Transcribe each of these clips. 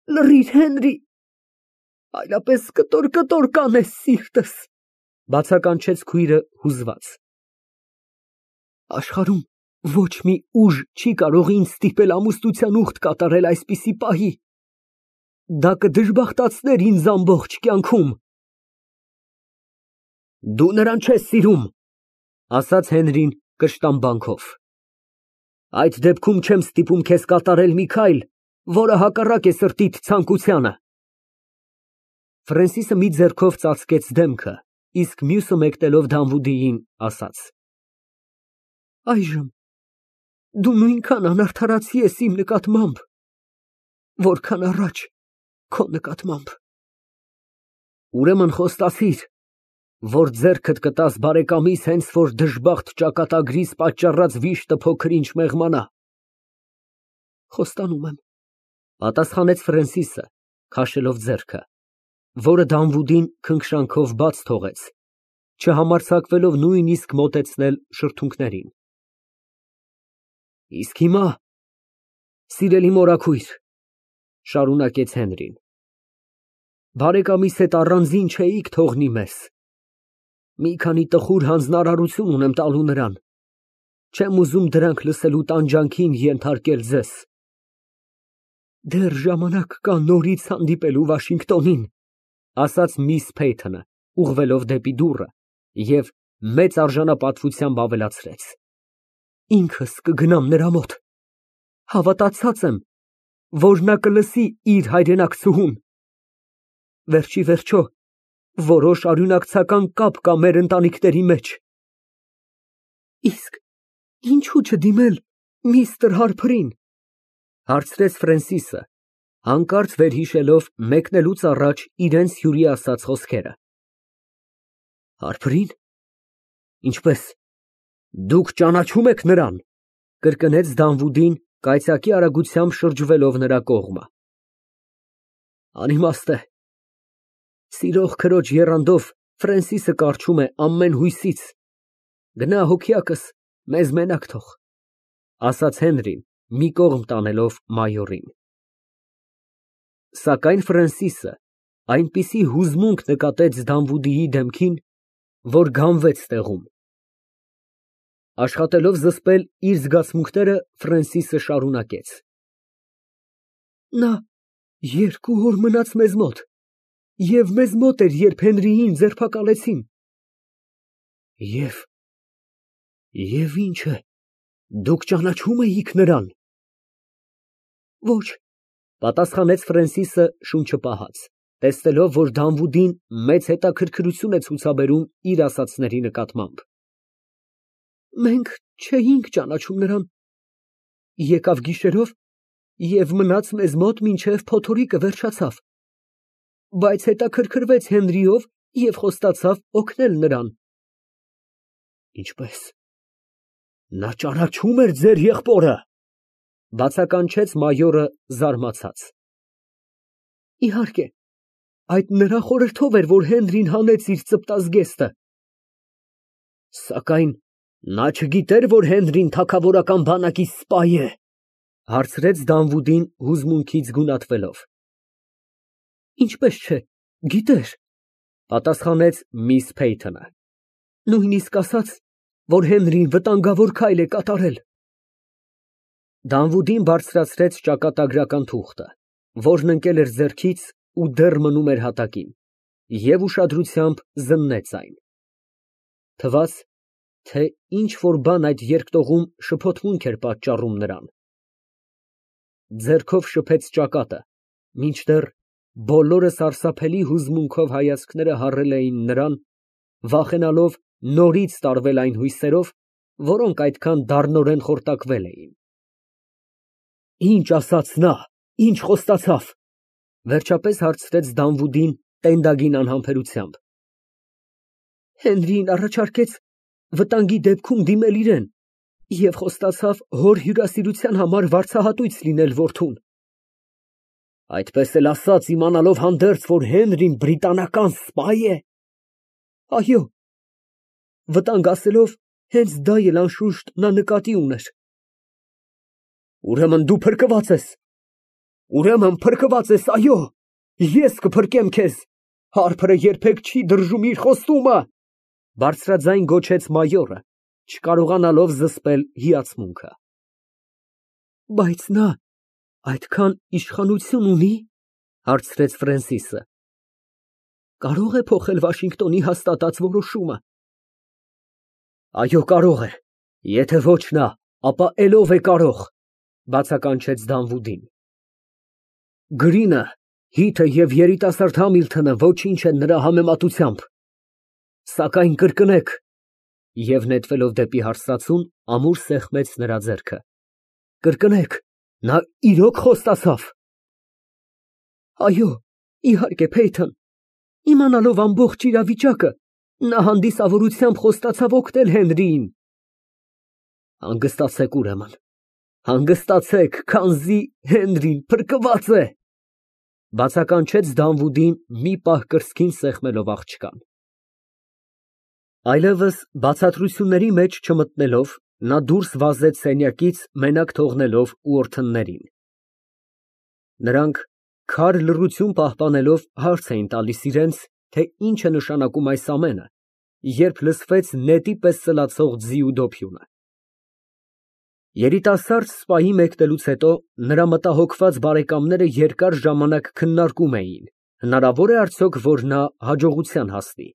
Լռիր, Հենրի, այլապես կտոր կանես սիրտս, բացականչեց քույրը հուզված։ Աշխարհում ոչ մի ուժ չի կարող ինձ ստիպել ամուսնության ուխտ կատարել այսպիսի պահի։ Դա կդժբախտացներ ինձ ամբողջ կյանքում։ Դու նրան չես սիրում, ասաց Հենրին կշտամբանքով։ Այդ դեպքում չեմ ստիպում քեզ կատարել մի քայլ, որը հակառակ է սրտիդ ցանկությանը։ Ֆրենսիսը մի ձեռքով ծածկեց դեմքը, իսկ մյուսը մեկնելով Դանվուդիին ասաց. Այժմ դու նույնքան անարդարացի ես իմ նկատմամբ, որքան առաջ քո նկատմամբ։ Ուրեմն խոստացիր, որ ձեռքդ կտաս բարեկամիս հենց որ դժբախտ ճակատագրիս պատճառած վիշտը փոքր-ինչ մեղմանա։ Խոստանում եմ, պատասխանեց Ֆրենսիսը, քաշելով ձեռքը, որը Դանվուդին քնքշանքով բաց թողեց, չհամարձակվելով նույնիսկ մոտեցնել շրթունքներին։ Իսկ հիմա, սիրելի մորաքույր, շարունակեց Հենրին, բարեկամիս հետ առանձին չէիք թողնի մեզ։ Մի քանի տխուր հանձնարարություն ունեմ տալու նրան։ Չեմ ուզում դրանք լսելու տանջանքին ենթարկել ձեզ։ Դեռ ժամանակ կա նորից հանդիպելու Վաշինգտոնին, ասաց միս Փեյթոնը, ուղղվելով դեպի դուռը, և մեծ արժանապատվությամբ ավելացրեց. Ինքս կգնամ նրա մոտ։ Հավատացած եմ, որ նա կլսի իր հայրենակցուհուն։ Վերջի վերջո, որոշ արյունակցական կապ կա մեր ընտանիքների մեջ։ Իսկ ինչու չդիմել միստր Հարփրին, հարցրեց Ֆրենսիսը, հանկարծ վերհիշելով մեկնելուց առաջ իրենց հյուրի ասած խոսքերը։ Հարփրին։ Ինչպես, դուք ճանաչում եք նրան, կրկնեց Դանվուդին կայծակի արագությամբ շրջվելով նրա կողմը։ Անիմաստ է։ Սիրող քրոջ եռանդով Ֆրենսիսը կառչում է ամեն հույսից։ Գնա հոգյակս մեզ մենակ թող, ասաց Հենրին, մի կողմ տանելով մայորին։ Սակայն Ֆրենսիսը այնպիսի հուզմունք նկատեց Դանվուդիի դեմքին, որ գանվեց տեղում։ Աշխատելով զսպել իր զգացմունքները, Ֆրենսիսը շարունակեց. Նա 2 օր մնաց մեզ մոտ, և մեզ մոտ էր, երբ Հենրիին ձերբակալեցին։ Եվ ինչ է, դուք ճանաչում էիք նրան։ Ոչ, պատասխանեց Ֆրենսիսը շունչը պահած, տեսնելով, որ Դանվուդին մեծ հետաքրքրություն է ցուցաբերում իր ասածների նկատմամբ։ Մենք չէինք ճանաչում նրան։ Եկավ գիշերով և մնաց մեզ մոտ մինչև փոթորիկը վերջացավ, բայց հետաքրքրվեց Հենրիով և խոստացավ օգնել նրան։ Ինչպես, նա ճանաչում էր ձեր եղբորը, բացականչեց մայորը զարմացած։ Իհարկե, այդ նրա խորհրդով էր, որ Հենրին հանեց իր ծպտազգեստը։ Սակայն նա չգիտեր, որ Հենրին թագավորական բանակի սպա է, հարցրեց Դանվուդին հուզմունքից գունատվելով։ Ինչպես չէ, գիտեր, պատասխանեց միս Փեյթոնը, նույնիսկ ասաց, որ Հենրին վտանգավոր քայլ է կատարել։ Դանվուդին բարձրացրեց ճակատագրական թուղթը, որն ընկել էր ձեռքից ու դեռ մնում էր հատակին, և ուշադրությամբ զննեց այն։ Թվաց, թե ինչ֊որ բան այդ երկտողում շփոթմունք էր պատճառում նրան։ Ձեռքով շփեց ճակատը, մինչդեռ բոլորը սարսափելի հուզմունքով հայացքները հառել էին նրան, վախենալով նորից տարվել այն հույսերով, որոնք այդքան դառնորեն խորտակվել էին։ Ինչ ասաց նա, ինչ խոստացավ, վերջապես հարցրեց Դանվուդին տենդագին անհամբերությամբ։ Հենրին առաջարկեց վտանգի դեպքում դիմել իրեն և խոստացավ հոր հյուրասիրության համար վարձահատույց լինել որդուն։ Այդպես էլ ասաց, իմանալով հանդերձ, որ Հենրին բրիտանական սպա է։ Այո, վտանգ ասելով, հենց դա էլ անշուշտ նա նկատի ուներ։ Ուրեմն դու փրկված ես։ Ուրեմն փրկված ես, այո, ես կփրկեմ քեզ, հարբը երբեք չի դրժում իր խոստումը, բարձրաձայն գոչեց մայորը, չկարողանալով զսպել հիացմունքը։ Բայց նա այդքան իշխանություն ունի, հարցրեց Ֆրենսիսը։ Կարող է փոխել Վաշինգտոնի հաստատած որոշումը։ Այո, կարող է, եթե ոչ նա, ապա ելով է կարող, բացականչեց Դանվուդին։ Գրինը, Հիթը և երիտասարդ Համիլթոնը ոչինչ են նրա համեմատությամբ։ Սակայն կրկնեք, և նետվելով դեպի հարսածուն, ամուր սեղմեց նրա ձեռքը, կրկնեք, նա իրոք խոստացավ։ Այո, իհարկե, Փեյթոն, իմանալով ամբողջ իրավիճակը, նա հանդիսավորությամբ խոստացավ օգնել Հենրիին։ Հանգստացեք ուրեմն, հանգստացեք, քանզի Հենրին փրկված է, բացականչեց Դանվուդին մի պահ կրծքին սեղմելով աղջկան։ Այլևս բացատրությունների մեջ չմտնելով, նա դուրս վազեց սենյակից, մենակ թողնելով ուորթններին։ Նրանք քար լռություն պահպանելով հարց էին տալիս իրենց, թե ինչ է նշանակում այս ամենը, երբ լսվեց նետի պես սլացող ձիու դոփյունը։ Երիտասարդ սպայի մեկնելուց հետո նրա մտահոգված բարեկամները երկար ժամանակ քննարկում էին, հնարավոր է արդյոք, որ նա հաջողության հասնի։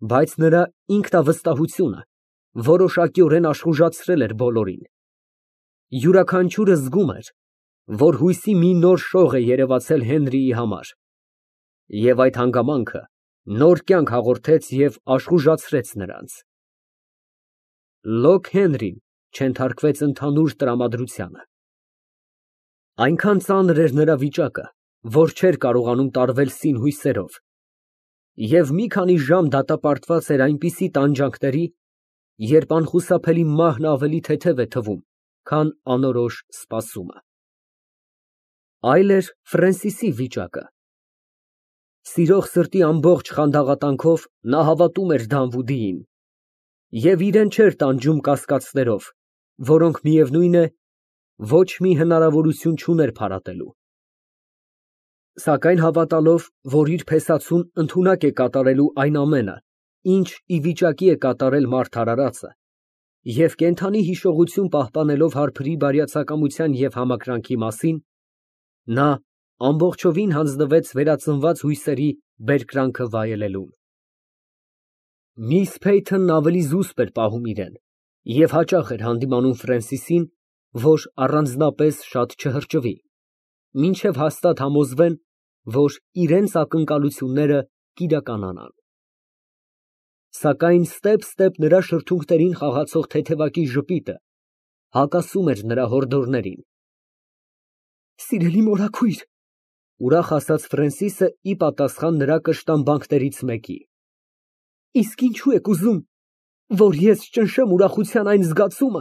Բայց նրա ինքնավստահությունը որոշակիորեն աշխուժացրել էր բոլորին։ Յուրաքանչյուրը զգում էր, որ հույսի մի նոր շող է երևացել Հենրիի համար, և այդ հանգամանքը նոր կյանք հաղորդեց և աշխուժացրեց նրանց։ Լոկ Հենրին չենթարկվեց ընդհանուր տրամադրությանը։ Այնքան ծանր էր նրա վիճակը, որ չէր կարողանում տարվել սին֊հույսերով, և մի քանի ժամ դատապարտված էր այնպիսի տանջանքների, երբ անխուսափելի մահն ավելի թեթև է թվում, քան անորոշ սպասումը։ Այլ էր Ֆրենսիսի վիճակը։ Սիրող սրտի ամբողջ խանդաղատանքով նա հավատում էր Դանվուդիին և իրեն չէր տանջում կասկածներով, որոնք, միևնույն է, ոչ մի հնարավորություն չուներ փարատելու։ Սակայն հավատալով, որ իր փեսացուն ընդունակ է կատարելու այն ամենը, ինչ ի վիճակի է կատարել մարդ արարածը, և կենդանի հիշողություն պահպանելով հարբրի բարյացակամության և համակրանքի մասին, նա ամբողջովին հանձնվեց վերածնված հույսերի բերկրանքը վայելելուն։ Միս Փեյթոնն ավելի զուսպ էր պահում իրեն և հաճախ էր հանդիմանում Ֆրենսիսին, որ առանձնապես շատ չհրճվի, մինչև հաստատ համոզվեն, որ իրենց ակնկալությունները կիրականանան։ Սակայն ստեպ նրա շրթունքներին խաղացող թեթևակի ժպիտը հակասում էր նրա հորդորներին։ Սիրելի մորաքույր, ուրախ ասաց Ֆրենսիսը ի պատասխան նրա կշտամբանքներից մեկի, իսկ ինչու եք ուզում, որ ես ճնշեմ ուրախության այն զգացումը,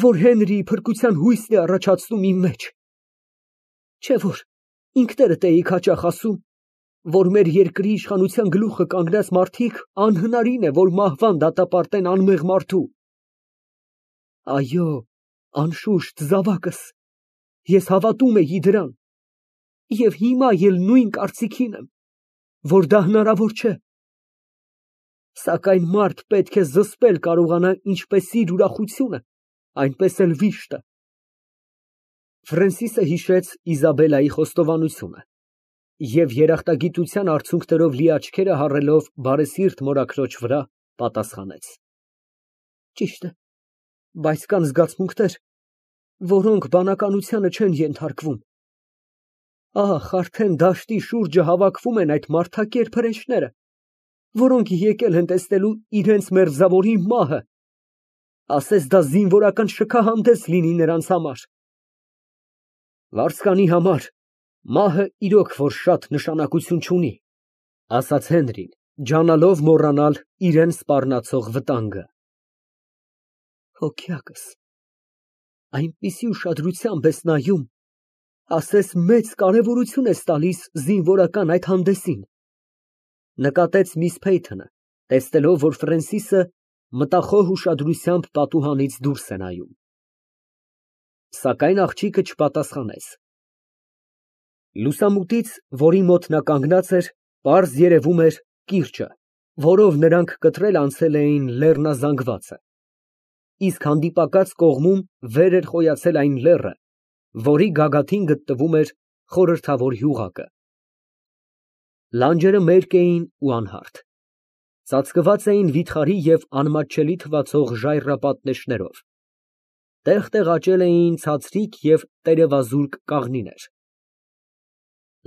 որ Հենրիի փրկության հույսն է առաջացնում իմ մեջ։ Չէ՞ որ ինքներդ էիք հաճախ ասում, որ մեր երկրի իշխանության գլուխը կանգնած մարդիկ անհնարին է, որ մահվան դատապարտեն անմեղ մարդու։ Այո, անշուշտ, զավակս, ես հավատում էի դրան, և հիմա էլ նույն կարծիքին եմ, որ դա հնարավոր չէ։ Սակայն մարդ պետք է զսպել կարողանա ինչպես իր ուրախությունը, այնպես էլ վիշտը։ Ֆրենսիսը հիշեց Իզաբելայի խոստովանությունը և երախտագիտության արցունքներով լի աչքերը հառելով բարեսիրտ մորաքրոջ վրա, պատասխանեց. Ճիշտ է, բայց կան զգացմունքներ, որոնք բանականությանը չեն ենթարկվում։ Ահ, արդեն դաշտի շուրջը հավաքվում են այդ մարդակերպ հրեշները, որոնք եկել են տեսնելու իրենց մերձավորի մահը, ասես դա զինվորական շքահանդես լինի նրանց համար։ Վարձկանի համար մահը իրոք որ շատ նշանակություն չունի, ասաց Հենրին, ջանալով մոռանալ իրան սպառնացող վտանգը։ Հոգյակս այնպիսի ուշադրությամբ ես նայում, ասես մեծ կարևորություն ես տալիս զինվորական այդ հանդեսին, նկատեց միս Փեյթոնը, տեսնելով, որ Ֆրենսիսը մտախոհ ուշադրությամբ պատուհանից դուրս է նայում։ Սակայն աղջիկը չպատասխանեց։ Լուսամուտից, որի մոտ նա կանգնած էր, պարզ երևում էր կիրճը, որով նրանք կտրել անցել էին լեռնազանգվածը, իսկ հանդիպակաց կողմում վեր էր խոյացել այն լեռը, որի գագաթին գտնվում էր խորհրդավոր յուղակը։ Լանջերը մերկ էին ու անհարթ, ծածկված էին վիթխարի և անմատչելի թվացող ժայռապատ։ Տեղ֊տեղ աճել էին ցածրիկ և տերևազուրկ կաղնիներ։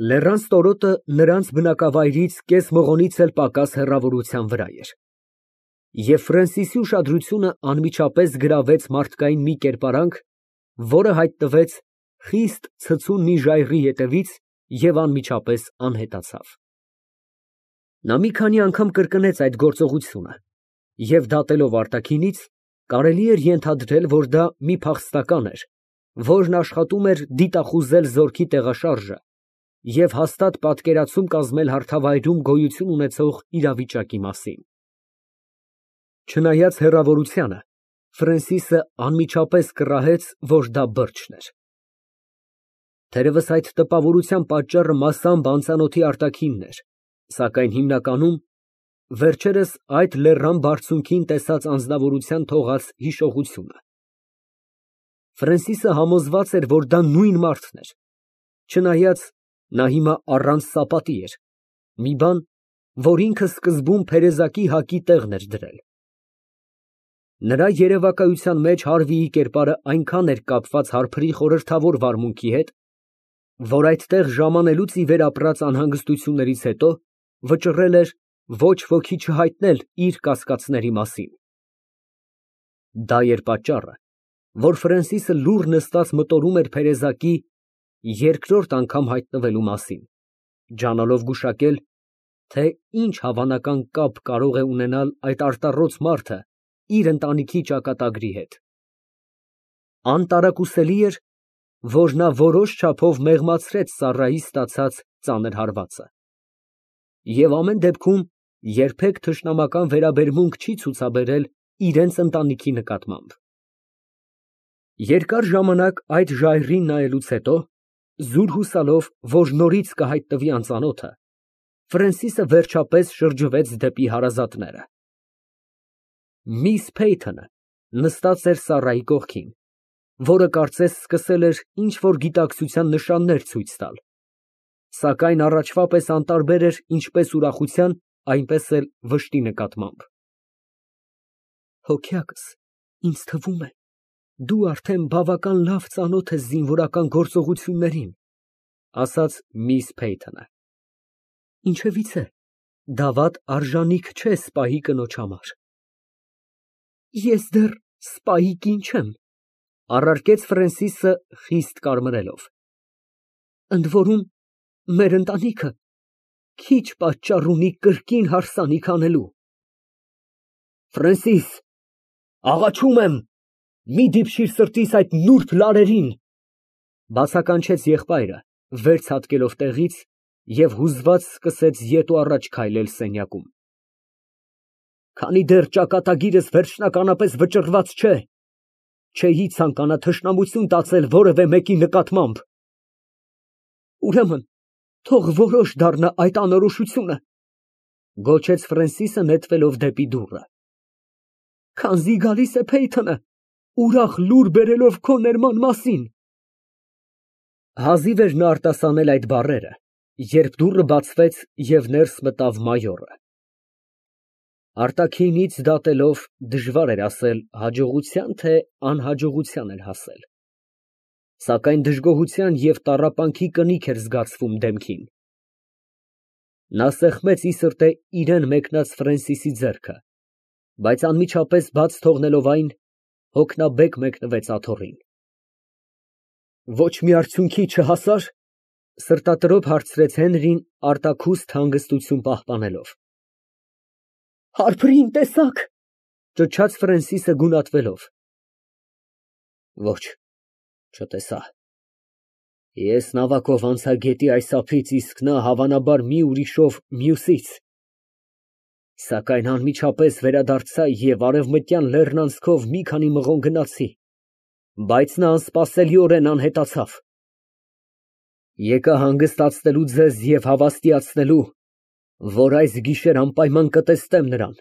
Լեռան ստորոտը նրանց բնակավայրից կես մղոնից էլ պակաս հեռավորության վրա էր, և Ֆրենսիսի ուշադրությունը անմիջապես գրավեց մարդկային մի կերպարանք, որը հայտնվեց խիստ ցցուն մի ժայռի ետևից և անմիջապես անհետացավ։ Նա մի քանի անգամ կրկնեց այդ գործողությունը և, դատելով արտաքինից, կարելի էր ենթադրել, որ դա մի փախստական էր, որն աշխատում էր դիտախուզել զորքի տեղաշարժը և հաստատ պատկերացում կազմել հարթավայրում գոյություն ունեցող իրավիճակի մասին։ Չնայած հեռավորությանը, Ֆրենսիսը անմիջապես կռահեց, որ դա բրդշն էր։ Թերևս այդ տպավորության պատճառը մասամբ անծանոթի արտաքինն էր, սակայն հիմնականում վերջերս այդ լեռան բարձունքին տեսած անձնավորության թողած հիշողությունը։ Ֆրենսիսը համոզված էր, որ դա նույն մարդն էր, չնայած նա հիմա առանց սապատի էր, մի բան, որ ինքը սկզբում փերեզակի հակի տեղն էր դրել։ Նրա երևակայության մեջ Հարվիի կերպարը այնքան էր կապված հարբրի խորհրդավոր վարմունքի հետ, որ այդտեղ ժամանելուց ի վեր ապրած անհանգստություններից հետո վճռել էր ոչ ոքի չհայտնել իր կասկածների մասին։ Դա էր պատճառը, որ Ֆրենսիսը լուռ նստած մտորում էր փերեզակի երկրորդ անգամ հայտնվելու մասին, ջանալով գուշակել, թե ինչ հավանական կապ կարող է ունենալ այդ արտառոց մարդը իր ընտանիքի ճակատագրի հետ։ Անտարակուսելի էր, որ նա որոշ չափով մեղմացրեց Սառայի ստացած ծանր հարվածը և ամեն դեպքում երբեք թշնամական վերաբերմունք չի ցուցաբերել իրենց ընտանիքի նկատմամբ։ Երկար ժամանակ այդ ժայռին նայելուց հետո, զուր հուսալով, որ նորից կհայտնվի անծանոթը, Ֆրենսիսը վերջապես շրջվեց դեպի հարազատները։ Միս Փեյթոնը նստած էր Սառայի կողքին, որը կարծես սկսել էր ինչ֊որ գիտակցության նշաններ ցույց տալ, սակայն առաջվա պես անտարբեր էր ինչպես ուրախության, այնպես էլ վշտի նկատմամբ։ Հոգյակս, ինձ թվում է, դու արդեն բավական լավ ծանոթ ես զինվորական գործողություններին, ասաց միս Փեյթոնը։ Ինչևիցե, դավադ արժանիք չէ սպայի կնոջ համար։ Ես դեռ սպայի կին չեմ, առարկեց Ֆրենսիսը խիստ կարմրելով։ Ընդ որում, մեր ընտանիքը քիչ պատճառ ունի կրկին հարսանիք անելու։ Ֆրենսիս, աղաչում եմ, մի դիպչիր սրտիս այդ նուրբ լարերին, բացականչեց եղբայրը, վեր ցատկելով տեղից և հուզված սկսեց ետ ու առաջ քայլել սենյակում։ Քանի դեռ ճակատագիրս վերջնականապես վճռված չէ, չէի ցանկանա թշնամություն տածել որևէ մեկի նկատմամբ։ Ուրեմն, թող որոշ դառնա այդ անորոշությունը, գոչեց Ֆրենսիսը նետվելով դեպի դուռը։ Քանզի գալիս է Փեյթոնը, ուրախ լուր բերելով քո ներման մասին։ Հազիվ էր նա արտասանել այդ բառերը, երբ դուռը բացվեց և ներս մտավ մայորը։ Արտաքինից դատելով դժվար էր ասել հաջողության, թե անհաջողության էր հասել, սակայն դժգոհության և տառապանքի կնիք էր զգացվում դեմքին։ Նա սեղմեց ի սրտե իրան մեկնած Ֆրենսիսի ձեռքը, բայց անմիջապես բաց թողնելով այն, հոգնաբեկ մեկնվեց աթոռին։ Ոչ մի արդյունքի չհասա՞ր, սրտատրոփ հարցրեց Հենրին արտաքուստ հանգստություն պահպանելով։ Հարբրին տեսա՞ք, ճչաց Ֆրենսիսը գունատվելով։ Ոչ, չտեսա։ Ես նավակով անցա գետի այս ափից, իսկ նա հավանաբար մի ուրիշով մյուսից, սակայն անմիջապես վերադարձա և արևմտյան լեռն անցքով մի քանի մղոն գնացի, բայց նա անսպասելիորեն անհետացավ։ Եկա հանգստացնելու ձեզ և հավաստիացնելու, որ այս գիշեր անպայման կտեսնեմ նրան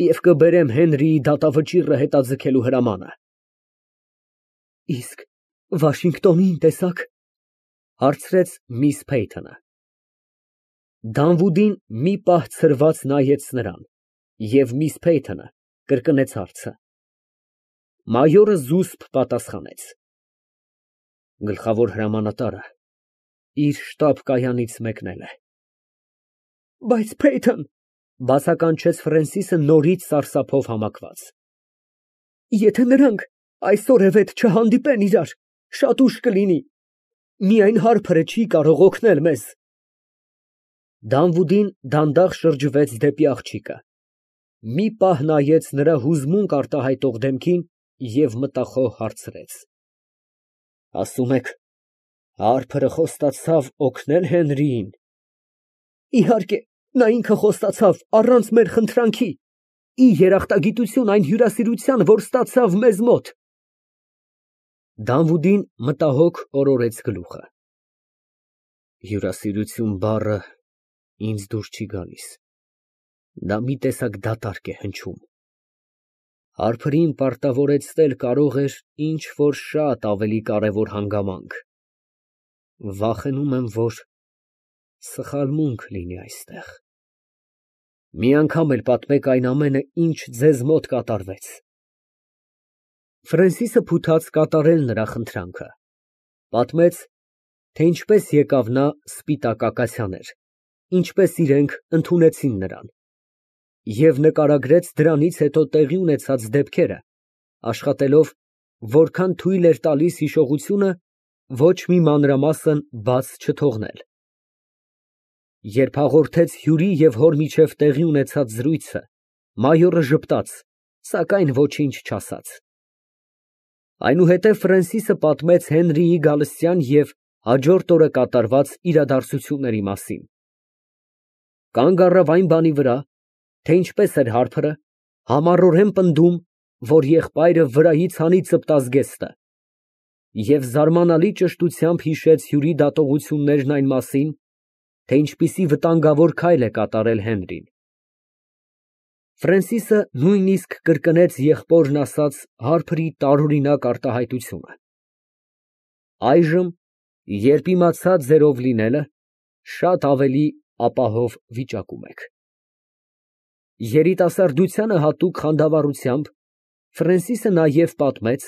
և կբերեմ Հենրիի դատավճիռը հետաձգելու հրամանը։ Իսկ Վաշինգտոնին տեսա՞ք, հարցրեց միս Փեյթոնը։ Դանվուդին մի պահ ցրված նայեց նրան, և միս Փեյթոնը կրկնեց հարցը։ Մայորը զուսպ պատասխանեց. Գլխավոր հրամանատարը իր շտաբ֊կայանից մեկնել է։ Բայց Փեյթոն, բացականչեց Ֆրենսիսը նորից սարսափով համակված, եթե նրանք այսօրևետ չհանդիպեն իրար, շատ ուշ կլինի, միայն Հարփրը չի կարող օգնել մեզ։ Դանվուդին դանդաղ շրջվեց դեպի աղջիկը, մի պահ նայեց նրա հուզմունք արտահայտող դեմքին և մտախոհ հարցրեց. Ասում եք, Հարփրը խոստացավ օգնել Հենրիին։ Իհարկե, նա ինքը խոստացավ առանց մեր խնդրանքի, ի երախտագիտություն այն հյուրասիրության, որ ստացավ մեզ մոտ։ Դանվուդին մտահոգ օրորեց գլուխը։ Հյուրասիրություն բառը ինձ դուր չի գալիս, դա մի տեսակ դատարկ է հնչում։ Հարփրին պարտավորեցնել կարող էր ինչ֊որ շատ ավելի կարևոր հանգամանք։ Վախենում եմ, որ սխալմունք լինի այստեղ։ Մի անգամ էլ պատմեք այն ամենը, ինչ ձեզ մոտ կատարվեց։ Ֆրենսիսը փութաց կատարել նրա խնդրանքը, պատմեց, թե ինչպես եկավ նա սպիտակ ակացիաներ, ինչպես իրենք ընդունեցին նրան, և նկարագրեց դրանից հետո տեղի ունեցած դեպքերը, աշխատելով, որքան թույլ էր տալիս հիշողությունը, ոչ մի մանրամասն բաց չթողնել։ Երբ հաղորդեց հյուրի և հոր միջև տեղի ունեցած զրույցը, մայորը ժպտաց, սակայն ոչինչ չասաց։ Այնուհետև Ֆրենսիսը պատմեց Հենրիի գալստյան և հաջորդ օրը կատարված իրադարձությունների մասին։ Կանգ առավ այն բանի վրա, թե ինչպես էր Հարփրը համառորեն պնդում, որ եղբայրը վրայից հանի ծպտաց գեստը, և զարմանալի ճշտությամբ հիշեց հյուրի դատողություններն այն մասին, թե ինչպիսի վտանգավոր քայլ է կատարել Հենրին։ Ֆրենսիսը նույնիսկ կրկնեց եղբորն ասած Հարփրի տարօրինակ արտահայտությունը։ Այժմ, երբ իմացա ձերով լինելը, շատ ավելի ապահով վիճակում եք։ Երիտասարդությանը հատուկ խանդավառությամբ Ֆրենսիսը նաև պատմեց,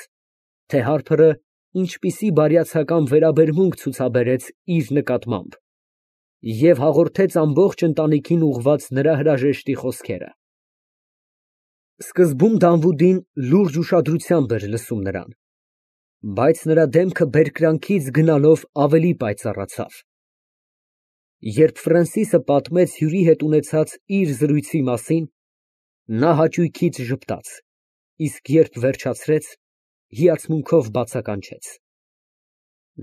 թե Հարփրը ինչպիսի բարյացակամ վերաբերմունք ցուցաբերեց իր նկատմամբ, և հաղորդեց ամբողջ ընտանիքին ուղղված նրա հրաժեշտի խոսքերը։ Սկզբում Դանվուդին լուրջ ուշադրությամբ էր լսում նրան, բայց նրա դեմքը բերկրանքից գնալով ավելի պայծառացավ։ Երբ Ֆրենսիսը պատմեց հյուրի հետ ունեցած իր զրույցի մասին, նա հաճույքից ժպտաց, իսկ երբ վերջացրեց, հիացմունքով բացականչեց.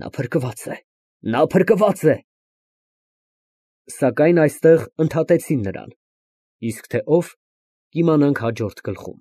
Նա փրկված է, նա փրկված է։ Սակայն այստեղ ընդհատեցին նրան, իսկ թե ով, կիմանանք հաջորդ գլխում։